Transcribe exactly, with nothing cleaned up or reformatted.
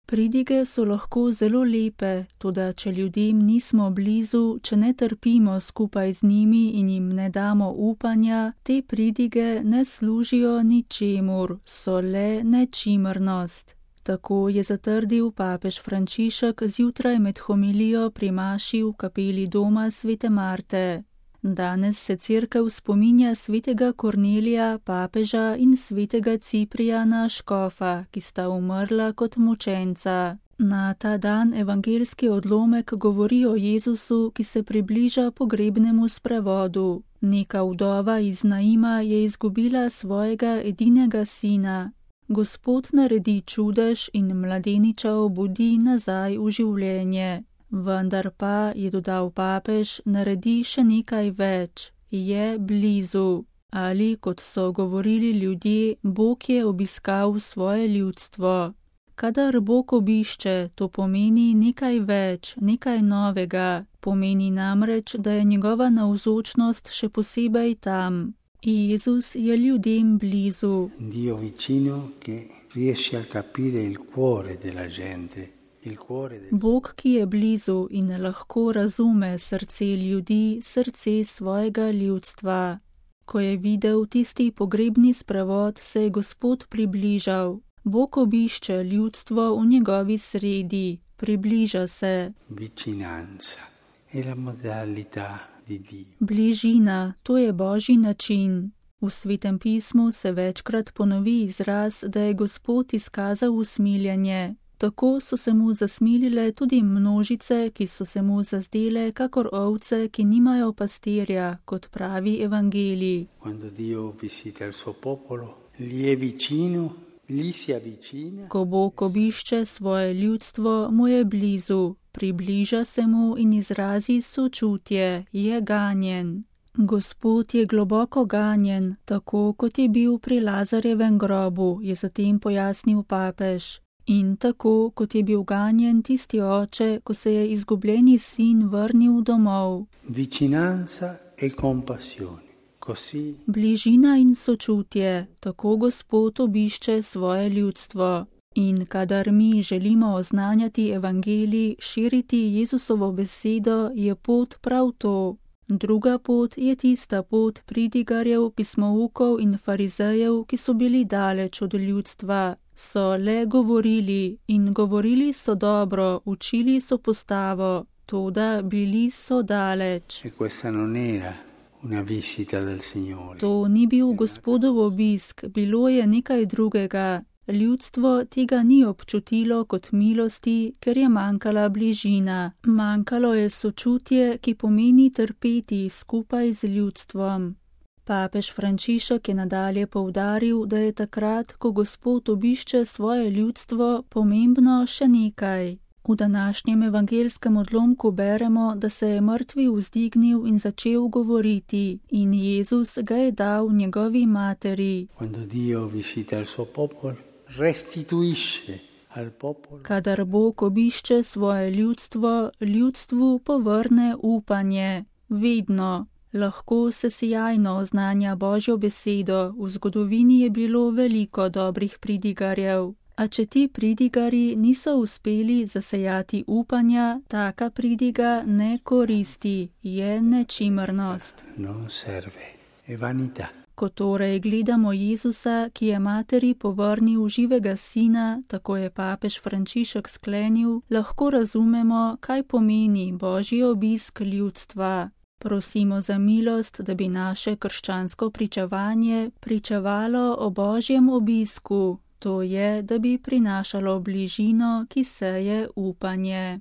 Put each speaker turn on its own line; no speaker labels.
Pridige so lahko zelo lepe, toda če ljudem nismo blizu, če ne trpimo skupaj z njimi in jim ne damo upanja, te pridige ne služijo ničemur, so le nečimrnost. Tako je zatrdil papež Frančišek zjutraj med homilijo pri maši v kapeli doma svete Marte. Danes se cerkev spominja svetega Kornelija, papeža in svetega Ciprijana, škofa, ki sta umrla kot mučenca. Na ta dan evangeljski odlomek govori o Jezusu, ki se približa pogrebnemu sprevodu. Neka vdova iz Naima je izgubila svojega edinega sina. Gospod naredi čudež in mladeniča obudi nazaj v življenje. Vendar pa, je dodal papež, naredi še nekaj več, je blizu. Ali, kot so govorili ljudje, Bog je obiskal svoje ljudstvo. Kadar Bog obišče, to pomeni nekaj več, nekaj novega, pomeni namreč, da je njegova navzočnost še posebej tam. Jezus je ljudem blizu.
Dio vicino, che riesce a capire il cuore della gente.
Bog, ki je blizu in lahko razume srce ljudi, srce svojega ljudstva. Ko je videl tisti pogrebni sprevod, se je Gospod približal. Bog obišče ljudstvo v njegovi sredi, približa se.
Vicinanza è la modalità di Dio.
Bližina, to je Božji način. V Svetem pismu se večkrat ponovi izraz, da je Gospod izkazal usmiljenje. Tako so se mu zasmilile tudi množice, ki so se mu zazdele kakor ovce, ki nimajo pastirja, kot pravi evangelij. Ko Bog obišče svoje ljudstvo, mu je blizu, približa se mu in izrazi sočutje, je ganjen. Gospod je globoko ganjen, tako kot je bil pri Lazarjevem grobu, je zatem pojasnil papež. In tako, kot je bil ganjen tisti oče, ko se je izgubljeni sin vrnil domov.
Vicinanza e compassione. Così.
Bližina in sočutje, tako Gospod obišče svoje ljudstvo. In kadar mi želimo oznanjati evangelij, širiti Jezusovo besedo, je pot prav to. Druga pot je tista pot pridigarjev, pismoukov in farizejev, ki so bili daleč od ljudstva. So le govorili in govorili so dobro, učili so postavo, toda bili so daleč. To ni bil Gospodov obisk, bilo je nekaj drugega. Ljudstvo tega ni občutilo kot milosti, ker je manjkala bližina. Manjkalo je sočutje, ki pomeni trpeti skupaj z ljudstvom. Papež Frančišek je nadalje poudaril, da je takrat, ko Gospod obišče svoje ljudstvo, pomembno še nekaj. V današnjem evangeljskem odlomku beremo, da se je mrtvi vzdignil in začel govoriti, in Jezus ga je dal njegovi materi. Kadar Bog obišče svoje ljudstvo, ljudstvu povrne upanje. Vedno. Lahko se sijajno oznanja Božjo besedo, v zgodovini je bilo veliko dobrih pridigarjev. A če ti pridigarji niso uspeli zasejati upanja, taka pridiga ne koristi, je nečimrnost.
Non serve, è vanità.
Ko torej gledamo Jezusa, ki je materi povrnil živega sina, tako je papež Frančišek sklenil, lahko razumemo, kaj pomeni Božji obisk ljudstva. Prosimo za milost, da bi naše krščansko pričevanje pričevalo o Božjem obisku, to je, da bi prinašalo bližino, ki seje upanje.